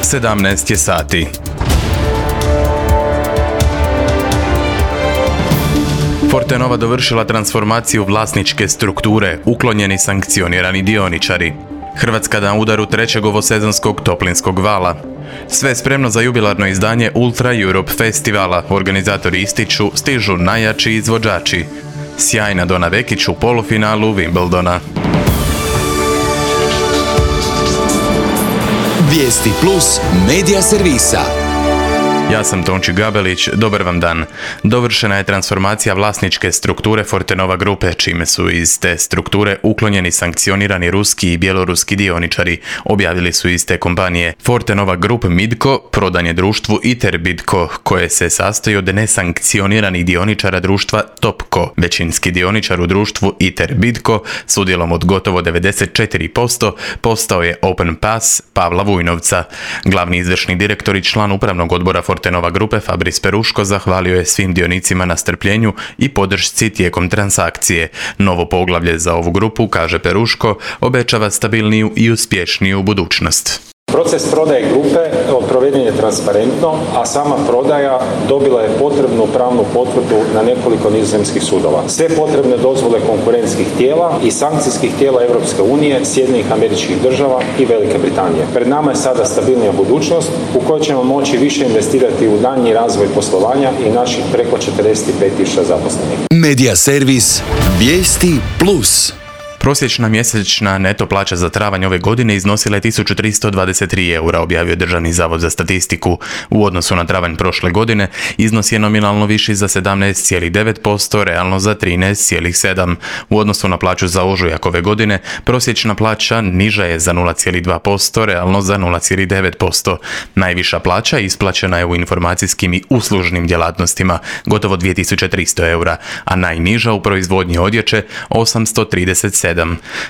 17 je sati. Fortenova dovršila transformaciju vlasničke strukture, uklonjeni sankcionirani dioničari. Hrvatska na udaru trećeg ovosezonskog toplinskog vala. Sve spremno za jubilarno izdanje Ultra Europe festivala. Organizatori ističu, stižu najjači izvođači. Sjajna Dona Vekić u polufinalu Wimbledona. Vijesti plus medija servisa. Ja sam Tonči Gabelić, dobar vam dan. Dovršena je transformacija vlasničke strukture Fortenova grupe, čime su iz te strukture uklonjeni sankcionirani ruski i bjeloruski dioničari, objavili su iz te kompanije. Fortenova Group Midco prodan je društvu ITER Bidco, koje se sastoji od nesankcioniranih dioničara društva Topco. Većinski dioničar u društvu ITER Bidco s udjelom od gotovo 94% postao je Open Pass Pavla Vujnovca. Glavni izvršni direktor i član upravnog odbora Fortenova grupe Fabris Peruško zahvalio je svim dionicima na strpljenju i podršci tijekom transakcije. Novo poglavlje za ovu grupu, kaže Peruško, obećava stabilniju i uspješniju budućnost. Proces prodaje grupe proveden je transparentno, a sama prodaja dobila je potrebnu pravnu potvrdu na nekoliko nizozemskih sudova. Sve potrebne dozvole konkurentskih tijela i sankcijskih tijela Europske unije, Sjedinjenih Američkih Država i Velike Britanije. Pred nama je sada stabilnija budućnost u kojoj ćemo moći više investirati u daljnji razvoj poslovanja i naših preko 45.000 zaposlenih. Medija servis Vijesti plus. Prosječna mjesečna neto plaća za travanj ove godine iznosila je 1323 eura, objavio Državni zavod za statistiku. U odnosu na travanj prošle godine iznos je nominalno viši za 17,9%, realno za 13,7%. U odnosu na plaću za ožujak ove godine, prosječna plaća niža je za 0,2%, realno za 0,9%. Najviša plaća isplaćena je u informacijskim i uslužnim djelatnostima, gotovo 2300 eura, a najniža u proizvodnji odjeće 837.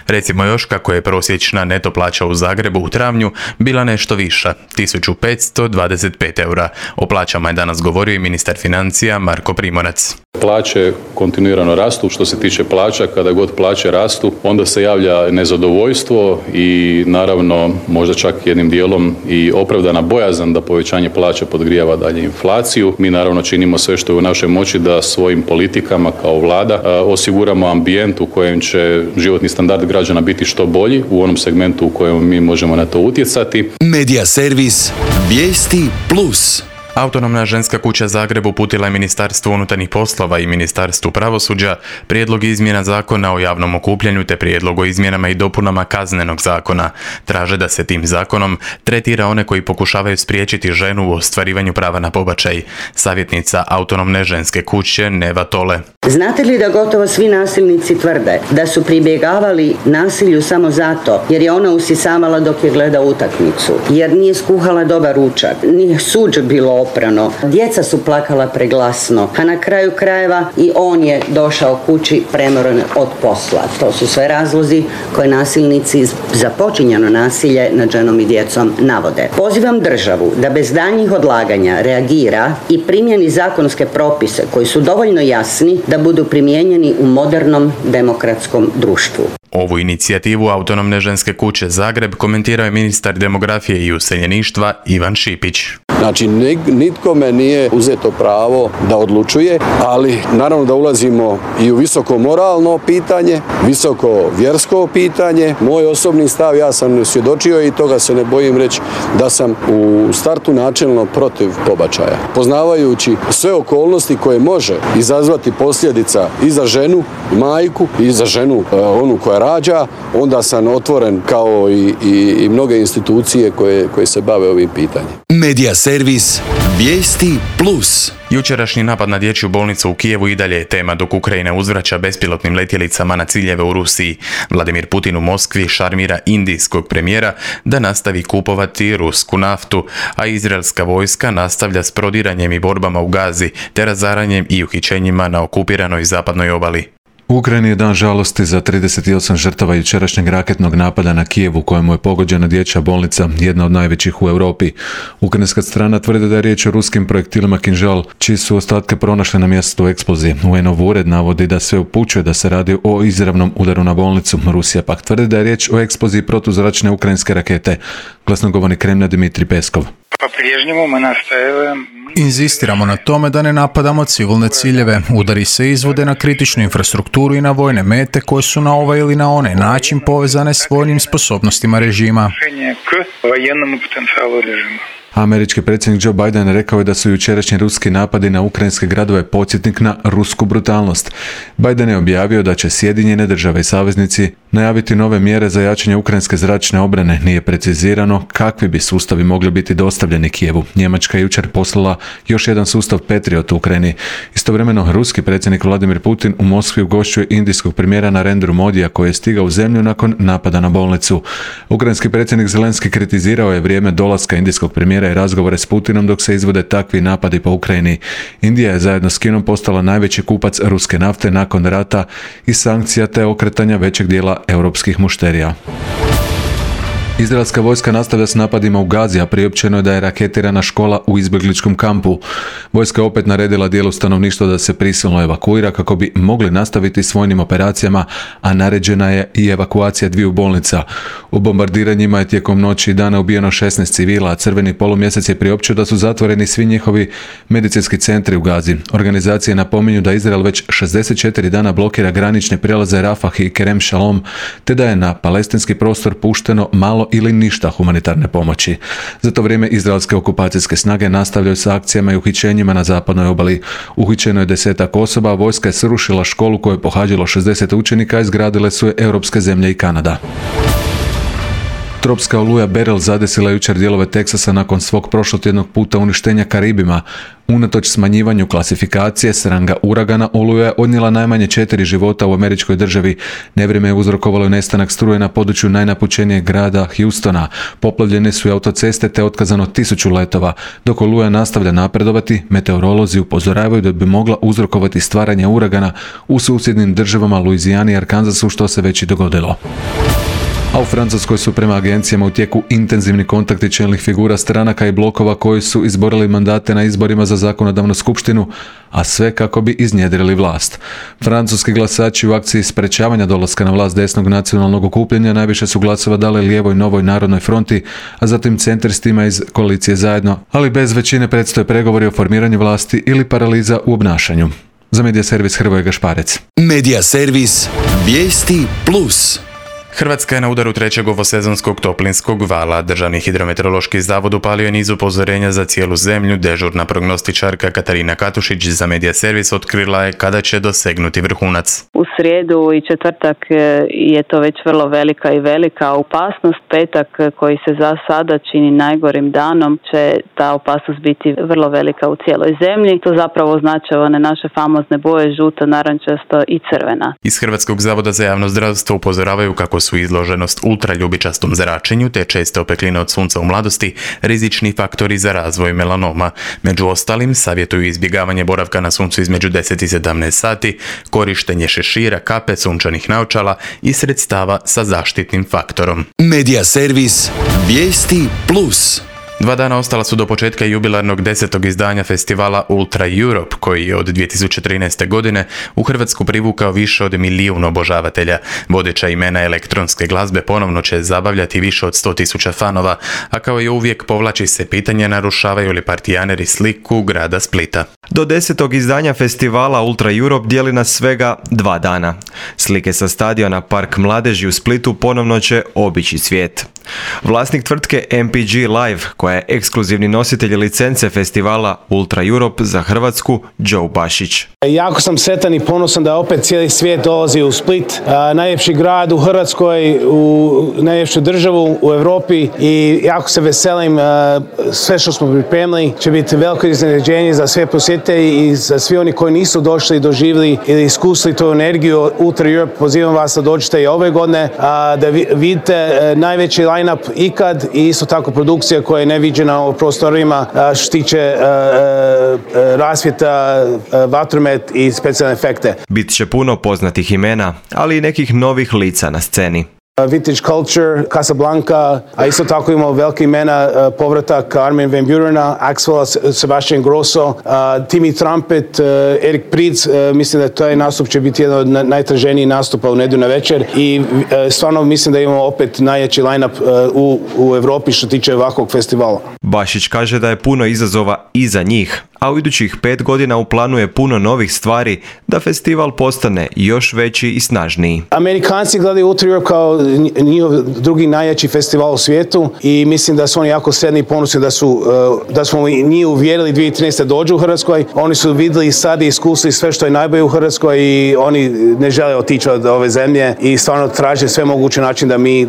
Recimo još kako je prosječna neto plaća u Zagrebu u travnju bila nešto viša, 1525 eura. O plaćama je danas govorio i ministar financija Marko Primorac. Plaće kontinuirano rastu. Što se tiče plaća, kada god plaće rastu, onda se javlja nezadovoljstvo i naravno možda čak jednim dijelom i opravdana bojazan da povećanje plaća podgrijava dalje inflaciju. Mi naravno činimo sve što je u našoj moći da svojim politikama kao vlada osiguramo ambijent u kojem će životni standard građana biti što bolji u onom segmentu u kojem mi možemo na to utjecati. Medija servis Vijesti plus. Autonomna ženska kuća Zagreb uputila je Ministarstvu unutarnjih poslova i Ministarstvu pravosuđa prijedlog izmjena zakona o javnom okupljanju te prijedlog o izmjenama i dopunama Kaznenog zakona. Traže da se tim zakonom tretira one koji pokušavaju spriječiti ženu u ostvarivanju prava na pobačaj. Savjetnica Autonomne ženske kuće Neva Tole. Znate li da gotovo svi nasilnici tvrde da su pribjegavali nasilju samo zato jer je ona usisavala dok je gleda utakmicu, jer nije skuhala dobar ručak, nije suđe bilo oprano, djeca su plakala preglasno, a na kraju krajeva i on je došao kući premoren od posla. To su sve razlozi koje nasilnici za počinjeno nasilje nad ženom i djecom navode. Pozivam državu da bez daljnjih odlaganja reagira i primjeni zakonske propise koji su dovoljno jasni da budu primijenjeni u modernom demokratskom društvu. Ovu inicijativu Autonomne ženske kuće Zagreb komentirao je ministar demografije i useljeništva Ivan Šipić. Znači, nitkome nije uzeto pravo da odlučuje, ali naravno da ulazimo i u visoko moralno pitanje, visoko vjersko pitanje. Moj osobni stav, ja sam svjedočio i toga se ne bojim reći da sam u startu načelno protiv pobačaja. Poznavajući sve okolnosti koje može izazvati posljedica i za ženu, majku, i za ženu onu koja rađa, onda sam otvoren kao i mnoge institucije koje se bave ovim pitanjem. Medija servis Vijesti plus. Jučerašnji napad na dječju bolnicu u Kijevu i dalje je tema dok Ukrajina uzvraća bespilotnim letjelicama na ciljeve u Rusiji. Vladimir Putin u Moskvi šarmira indijskog premijera da nastavi kupovati rusku naftu, a izraelska vojska nastavlja s prodiranjem i borbama u Gazi te razaranjem i uhićenjima na okupiranoj zapadnoj obali. U Ukrajini je dan žalosti za 38 žrtava jučerašnjeg raketnog napada na Kijev u kojemu je pogođena dječja bolnica, jedna od najvećih u Europi. Ukrajinska strana tvrdi da je riječ o ruskim projektilima Kinžal, čiji su ostatke pronašli na mjestu eksplozije. UN-ov ured navodi da sve upućuje da se radi o izravnom udaru na bolnicu. Rusija pak tvrdi da je riječ o eksploziji protuzračne ukrajinske rakete. Glasnogovornik Kremlja Dmitrij Peskov. Inzistiramo na tome da ne napadamo civilne ciljeve. Udari se izvode na kritičnu infrastrukturu i na vojne mete koje su na ovaj ili na onaj način povezane s vojnim sposobnostima režima. Američki predsjednik Joe Biden rekao je da su jučerašnji ruski napadi na ukrajinske gradove podsjetnik na rusku brutalnost. Biden je objavio da će Sjedinjene države i saveznici najaviti nove mjere za jačanje ukrajinske zračne obrane. Nije precizirano kakvi bi sustavi mogli biti dostavljeni Kijevu. Njemačka je jučer poslala još jedan sustav Patriot u Ukrajini. Istovremeno, ruski predsjednik Vladimir Putin u Moskvi ugošćuje indijskog premijera Narendru Modija koji je stigao u zemlju nakon napada na bolnicu. Ukrajinski predsjednik Zelenski kritizirao je vrijeme dolaska indijskog premijera i razgovore s Putinom dok se izvode takvi napadi po Ukrajini. Indija je zajedno s Kinom postala najveći kupac ruske nafte nakon rata i sankcija te okretanja većeg dijela europskih mušterija. Izraelska vojska nastavlja s napadima u Gazi, a priopćeno je da je raketirana škola u izbjegličkom kampu. Vojska je opet naredila dijelu stanovništva da se prisilno evakuira kako bi mogli nastaviti s vojnim operacijama, a naređena je i evakuacija 2 bolnica. U bombardiranjima je tijekom noći i dana ubijeno 16 civila, a Crveni polumjesec je priopćio da su zatvoreni svi njihovi medicinski centri u Gazi. Organizacije napominju da Izrael već 64 dana blokira granične prijelaze Rafah i Kerem Shalom, te da je na palestinski prostor pušteno malo ili ništa humanitarne pomoći. Za to vrijeme izraelske okupacijske snage nastavljaju sa akcijama i uhićenjima na zapadnoj obali. Uhićeno je 10 osoba, a vojska je srušila školu koju je pohađalo 60 učenika, izgradile su je europske zemlje i Kanada. Tropska oluja Beryl zadesila jučer dijelove Teksasa nakon svog prošlotjednog puta uništenja Karibima. Unatoč smanjivanju klasifikacije s ranga uragana, oluja je odnijela najmanje 4 života u američkoj državi. Nevrijeme je uzrokovalo nestanak struje na području najnapučenijeg grada Houstona. Poplavljene su i autoceste te otkazano 1000 letova. Dok oluja nastavlja napredovati, meteorolozi upozoravaju da bi mogla uzrokovati stvaranje uragana u susjednim državama Louisiani i Arkansasu, što se već i dogodilo. A u Francuskoj su prema agencijama u tijeku intenzivni kontakti čelnih figura stranaka i blokova koji su izborili mandate na izborima za zakonodavnu skupštinu, a sve kako bi iznjedrili vlast. Francuski glasači u akciji sprečavanja dolaska na vlast desnog nacionalnog okupljanja najviše su glasova dali lijevoj Novoj narodnoj fronti, a zatim centristima iz koalicije Zajedno, ali bez većine predstoje pregovori o formiranju vlasti ili paraliza u obnašanju. Za Medija servis Hrvoje Gašparec. Medija servis Vijesti Plus. Hrvatska je na udaru trećeg ovosezonskog toplinskog vala. Državni hidrometeorološki zavod upalio je niz upozorenja za cijelu zemlju. Dežurna prognostičarka Katarina Katušić za Medija servis otkrila je kada će dosegnuti vrhunac. U srijedu i četvrtak je to već vrlo velika opasnost. Petak koji se za sada čini najgorim danom će ta opasnost biti vrlo velika u cijeloj zemlji. To zapravo označava one naše famozne boje žuto, narančasto i crvena. Iz Hrvatskog zavoda za javno zdravstvo upozoravaju kako su izloženost ultraljubičastom zračenju te česte opekline od sunca u mladosti rizični faktori za razvoj melanoma. Među ostalim savjetuju izbjegavanje boravka na suncu između 10 i 17 sati, korištenje šešira, kape, sunčanih naočala i sredstava sa zaštitnim faktorom. Medija servis Vijesti Plus. 2 dana ostala su do početka jubilarnog 10. izdanja festivala Ultra Europe, koji je od 2013. godine u Hrvatsku privukao više od 1 milijun obožavatelja. Vodeća imena elektronske glazbe ponovno će zabavljati više od 100.000 fanova, a kao i uvijek povlači se pitanje narušavaju li partijaneri sliku grada Splita. Do 10. izdanja festivala Ultra Europe dijeli nas svega 2 dana. Slike sa stadiona Park Mladeži u Splitu ponovno će obići svijet. Vlasnik tvrtke MPG Live, koja je ekskluzivni nositelj licence festivala Ultra Europe za Hrvatsku, Joe Bašić. Jako sam sretan i ponosan da opet cijeli svijet dolazi u Split, najljepši grad u Hrvatskoj, u najljepšu državu u Europi, i jako se veselim. Sve što smo pripremili će biti veliko iznenađenje za sve posjetitelji i za svi oni koji nisu došli, doživjeli ili iskusili tu energiju Ultra Europe. Pozivam vas da dođete i ove godine, da vidite najveći line-up ikad i isto tako produkcija koja je neviđena u prostorima što se tiče rasvjeta, vatromet i specijalne efekte. Bit će puno poznatih imena, ali i nekih novih lica na sceni. Vintage Culture, Casablanca, a isto tako imamo velike imena, povratak Armin van Burena, Axwell, Sebastian Grosso, Timmy Trumpet, Erik Prydz, mislim da taj nastup će biti jedan od najtraženijih nastupa u nedjelju na večer i stvarno mislim da imamo opet najjači line-up u Europi što tiče ovakvog festivala. Bašić kaže da je puno izazova i za njih, a u idućih 5 godina u planu je puno novih stvari da festival postane još veći i snažniji. Amerikanci gledaju Ultra Europe kao njihov drugi najjači festival u svijetu i mislim da su oni jako sretni i ponosni da smo njih uvjerili 2013. dođu u Hrvatskoj. Oni su vidjeli sad i iskusili sve što je najbolje u Hrvatskoj i oni ne žele otići od ove zemlje i stvarno traže sve moguće način da mi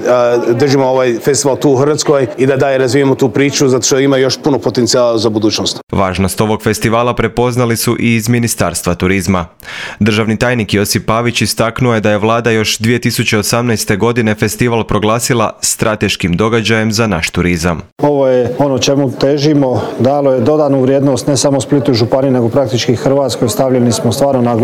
držimo ovaj festival tu u Hrvatskoj i da dalje razvijemo tu priču zato što ima još puno potencijala za budućnost. Važnost ovog festivala prepoznali su i iz Ministarstva turizma. Državni tajnik Josip Pavić istaknuo je da je vlada još 2018. godine festival proglasila strateškim događajem za naš turizam. Ovo je ono čemu težimo, dalo je dodanu vrijednost ne samo Splitu i županiji nego praktički Hrvatskoj. Stavljeni smo stvarno na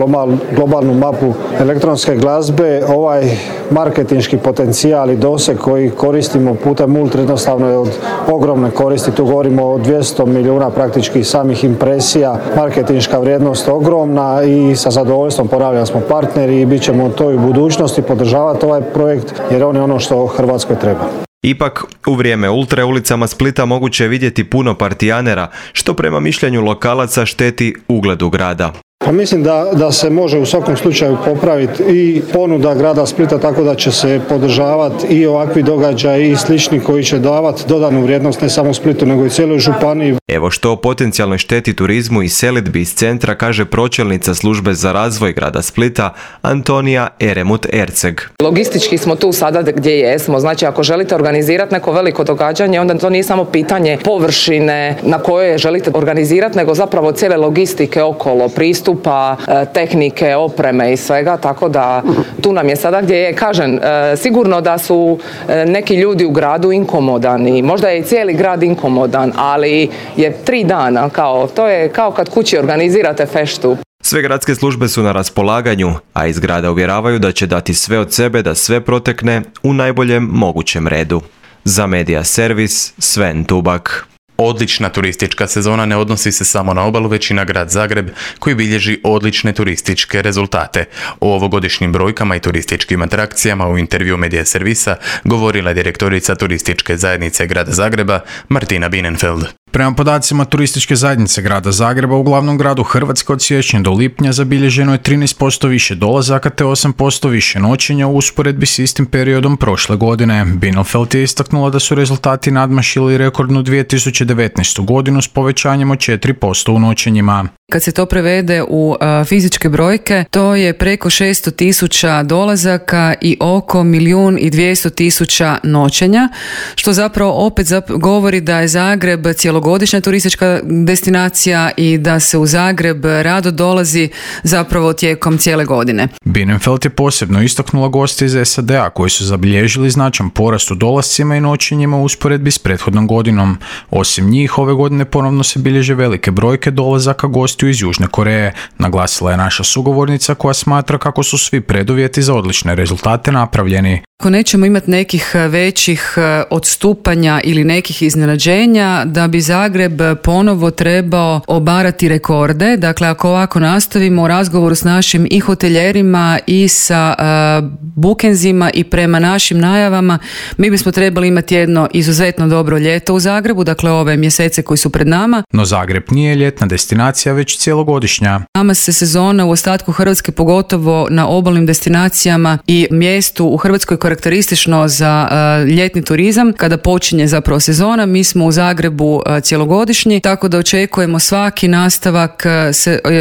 globalnu mapu elektronske glazbe. Ovaj marketinški potencijal i doseg koji koristimo putem Ultra jednostavno je od ogromne koristi. Tu govorimo o 200 milijuna praktički samih impresija. Marketinška vrijednost ogromna i sa zadovoljstvom ponavljam smo partneri i bit ćemo to i u budućnosti podržavati ovaj projekt jer on je ono što Hrvatskoj treba. Ipak, u vrijeme Ultre ulicama Splita moguće je vidjeti puno partijanera, što prema mišljenju lokalaca šteti ugledu grada. Pa mislim da se može u svakom slučaju popraviti i ponuda grada Splita tako da će se podržavati i ovakvi događaji i slični koji će davati dodanu vrijednost ne samo Splitu nego i cijeloj županiji. Evo što o potencijalnoj šteti turizmu i selidbi iz centra kaže pročelnica službe za razvoj grada Splita Antonija Eremut-Erceg. Logistički smo tu sada gdje jesmo, znači ako želite organizirati neko veliko događanje onda to nije samo pitanje površine na kojoj želite organizirati nego zapravo cijele logistike okolo, pristupa, tehnike, opreme i svega, tako da tu nam je sada gdje je, kažem, sigurno da su neki ljudi u gradu inkomodani, možda je i cijeli grad inkomodan, ali je 3 dana, to je kao kad kući organizirate feštu. Sve gradske službe su na raspolaganju, a iz grada uvjeravaju da će dati sve od sebe da sve protekne u najboljem mogućem redu. Za Medija Servis, Sven Tubak. Odlična turistička sezona ne odnosi se samo na obalu, već i na grad Zagreb, koji bilježi odlične turističke rezultate. O ovogodišnjim brojkama i turističkim atrakcijama u intervju Medija Servisa govorila je direktorica turističke zajednice grada Zagreba, Martina Bienenfeld. Prema podacima turističke zajednice grada Zagreba, u glavnom gradu Hrvatske od siječnja do lipnja zabilježeno je 13% više dolazaka te 8% više noćenja u usporedbi s istim periodom prošle godine. Bienenfeld je istaknula da su rezultati nadmašili rekordnu 2019. godinu s povećanjem od 4% u noćenjima. Kad se to prevede u fizičke brojke, to je preko 600.000 dolazaka i oko 1.200.000 noćenja, što zapravo opet govori da je Zagreb cjelogodišnja turistička destinacija i da se u Zagreb rado dolazi zapravo tijekom cijele godine. Bienenfeld je posebno istaknula goste iz SAD-a koji su zabilježili značajan porast u dolascima i noćenjima u usporedbi s prethodnom godinom. Osim njih, ove godine ponovno se bilježe velike brojke dolazaka gostiju iz Južne Koreje, naglasila je naša sugovornica koja smatra kako su svi preduvjeti za odlične rezultate napravljeni. Ako nećemo imati nekih većih odstupanja ili nekih iznenađenja, da bi Zagreb ponovo trebao obarati rekorde. Dakle, ako ovako nastavimo u razgovoru s našim i hoteljerima i sa bukenzima i prema našim najavama, mi bismo trebali imati jedno izuzetno dobro ljeto u Zagrebu, dakle ove mjesece koji su pred nama. No Zagreb nije ljetna destinacija, već cjelogodišnja. Nama se sezona u ostatku Hrvatske, pogotovo na obalnim destinacijama i mjestu u Hrvatskoj karakteristično za ljetni turizam. Kada počinje zapravo sezona, mi smo u Zagrebu cjelogodišnji, tako da očekujemo svaki nastavak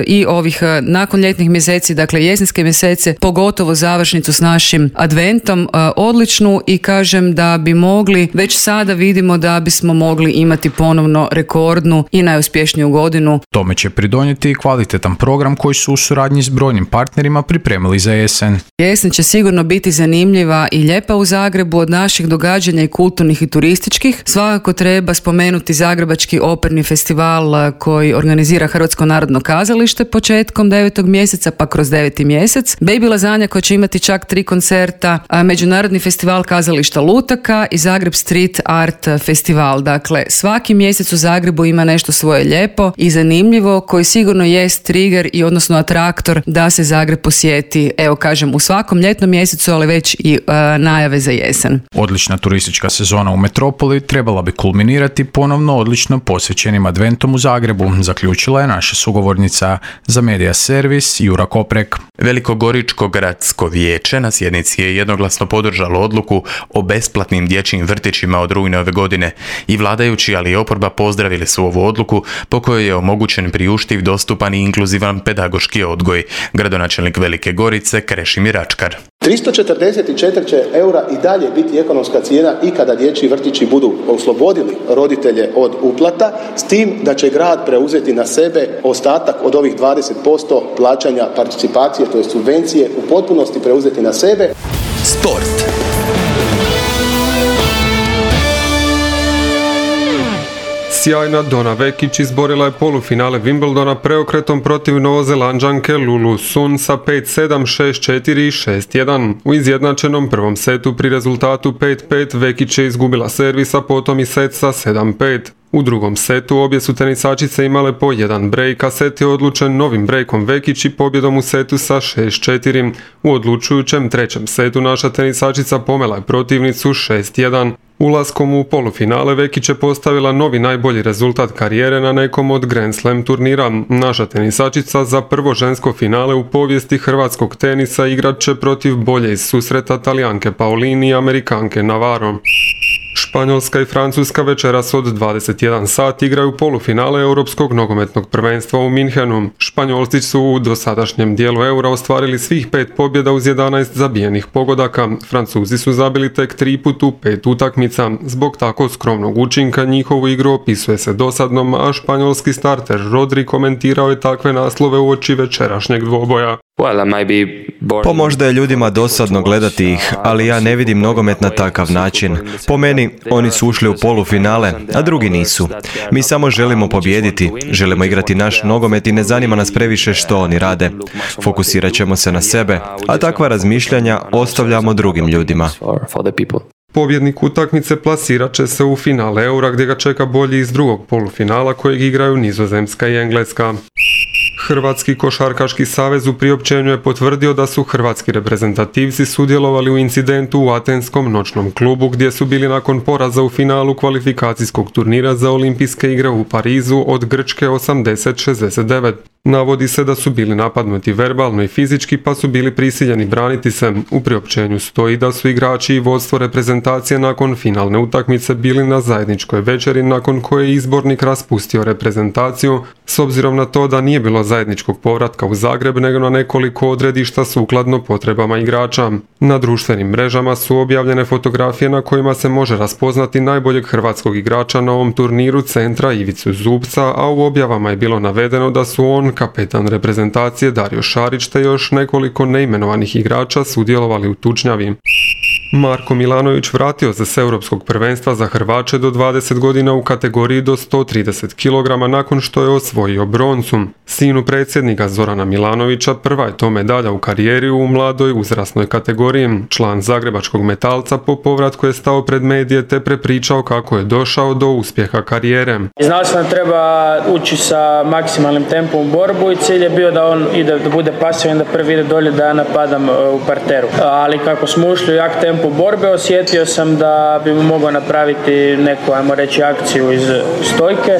i ovih nakon ljetnih mjeseci, dakle jesenske mjesece, pogotovo završnicu s našim adventom odličnu i kažem da bi mogli, već sada vidimo da bismo mogli imati ponovno rekordnu i najuspješniju godinu. Tome će pridonijeti donijeti i kvalitetan program koji su u suradnji s brojnim partnerima pripremili za jesen. Jesen će sigurno biti zanimljiva i lijepa u Zagrebu. Od naših događanja i kulturnih i turističkih svakako treba spomenuti Zagrebački operni festival koji organizira Hrvatsko narodno kazalište početkom 9. mjeseca pa kroz 9. mjesec. Baby Lazanja koja će imati čak 3 koncerta, Međunarodni festival kazališta lutaka i Zagreb Street Art festival. Dakle, svaki mjesec u Zagrebu ima nešto svoje lijepo i zanimljivo koji sigurno jest trigger i odnosno atraktor da se Zagreb posjeti, evo kažem, u svakom ljetnom mjesecu, ali već i najave za jesen. Odlična turistička sezona u metropoli trebala bi kulminirati ponovno odlično posvećenim adventom u Zagrebu, zaključila je naša sugovornica za Medija Servis Jura Koprek. Velikogoričko gradsko vijeće na sjednici je jednoglasno podržalo odluku o besplatnim dječjim vrtićima od rujna ove godine i vladajući, ali i oporba pozdravili su ovu odluku po kojoj je omogućen priuštiv, dostupan i inkluzivan pedagoški odgoj. Gradonačelnik Velike Gorice Krešimir Ačkar. 344 eura i dalje biti ekonomska cijena i kada dječji vrtići budu oslobodili roditelje od uplata, s tim da će grad preuzeti na sebe ostatak od ovih 20% plaćanja participacije, to je subvencije, u potpunosti preuzeti na sebe. Sport. Sjajna Donna Vekić izborila je polufinale Wimbledona preokretom protiv Novozelanđanke Lulu Sun sa 5-7, 6-4 i 6-1. U izjednačenom prvom setu pri rezultatu 5-5 Vekić je izgubila servis, a potom i set sa 7-5. U drugom setu obje su tenisačice imale po jedan brejk, a set je odlučen novim brejkom Vekić i pobjedom u setu sa 6-4. U odlučujućem trećem setu naša tenisačica pomela je protivnicu 6-1. Ulaskom u polufinale Vekić je postavila novi najbolji rezultat karijere na nekom od Grand Slam turnira. Naša tenisačica za prvo žensko finale u povijesti hrvatskog tenisa igrat će protiv bolje iz susreta Talijanke Paolini i Amerikanke Navarro. Španjolska i Francuska večeras od 21 sat igraju polufinale Europskog nogometnog prvenstva u Minhenu. Španjolci su u dosadašnjem dijelu Eura ostvarili svih 5 pobjeda uz 11 zabijenih pogodaka. Francuzi su zabili tek 3 put u 5 utakmica. Zbog tako skromnog učinka njihovu igru opisuje se dosadnom, a španjolski starter Rodri komentirao je takve naslove uoči večerašnjeg dvoboja. Pa možda je ljudima dosadno gledati ih, ali ja ne vidim nogomet na takav način. Po meni, oni su ušli u polufinale, a drugi nisu. Mi samo želimo pobijediti, želimo igrati naš nogomet i ne zanima nas previše što oni rade. Fokusirat ćemo se na sebe, a takva razmišljanja ostavljamo drugim ljudima. Pobjednik utakmice plasirat će se u finale Eura gdje ga čeka bolji iz drugog polufinala kojeg igraju Nizozemska i Engleska. Hrvatski košarkaški savez u priopćenju je potvrdio da su hrvatski reprezentativci sudjelovali u incidentu u atenskom noćnom klubu gdje su bili nakon poraza u finalu kvalifikacijskog turnira za olimpijske igre u Parizu od Grčke 80-69. Navodi se da su bili napadnuti verbalno i fizički pa su bili prisiljeni braniti se. U priopćenju stoji da su igrači i vodstvo reprezentacije nakon finalne utakmice bili na zajedničkoj večeri nakon koje je izbornik raspustio reprezentaciju s obzirom na to da nije bilo zajedničkog povratka u Zagreb nego na nekoliko odredišta sukladno potrebama igrača. Na društvenim mrežama su objavljene fotografije na kojima se može raspoznati najboljeg hrvatskog igrača na ovom turniru centra Ivicu Zubca, a u objavama je bilo navedeno da su on, kapetan reprezentacije Dario Šarić te još nekoliko neimenovanih igrača sudjelovali u tučnjavi. Marko Milanović vratio se s europskog prvenstva za Hrvače do 20 godina u kategoriji do 130 kg nakon što je osvojio broncu. Sinu predsjednika Zorana Milanovića prva je to medalja u karijeri u mladoj uzrasnoj kategoriji. Član zagrebačkog Metalca po povratku je stao pred medije te prepričao kako je došao do uspjeha karijere. Znao sam da treba ući sa maksimalnim tempom u borbu i cilj je bio da on ide, da bude pasivan, da prvi ide dolje, da ja napadam u parteru. Ali kako smo ušli u jak tempo borbe, osjetio sam da bi mu mogao napraviti neku, ajmo reći, akciju iz stojke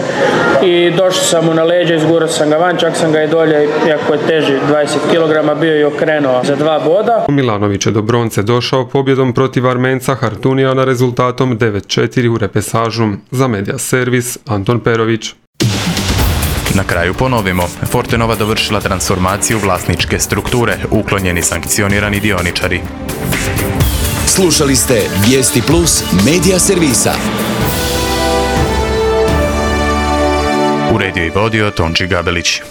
i došao sam mu na leđa, izgurao sam ga van, čak sam ga i dolje, iako je teži 20 kg, bio i okrenuo za 2 boda. Milanović je do bronce došao pobjedom protiv Armenca Hartunijana rezultatom 9-4 u repesažu. Za Medija Servis, Anton Perović. Na kraju ponovimo, Fortenova dovršila transformaciju vlasničke strukture, uklonjeni sankcionirani dioničari. Slušali ste Vijesti Plus Medija Servisa. Uredio i vodio Tonči Gabelić.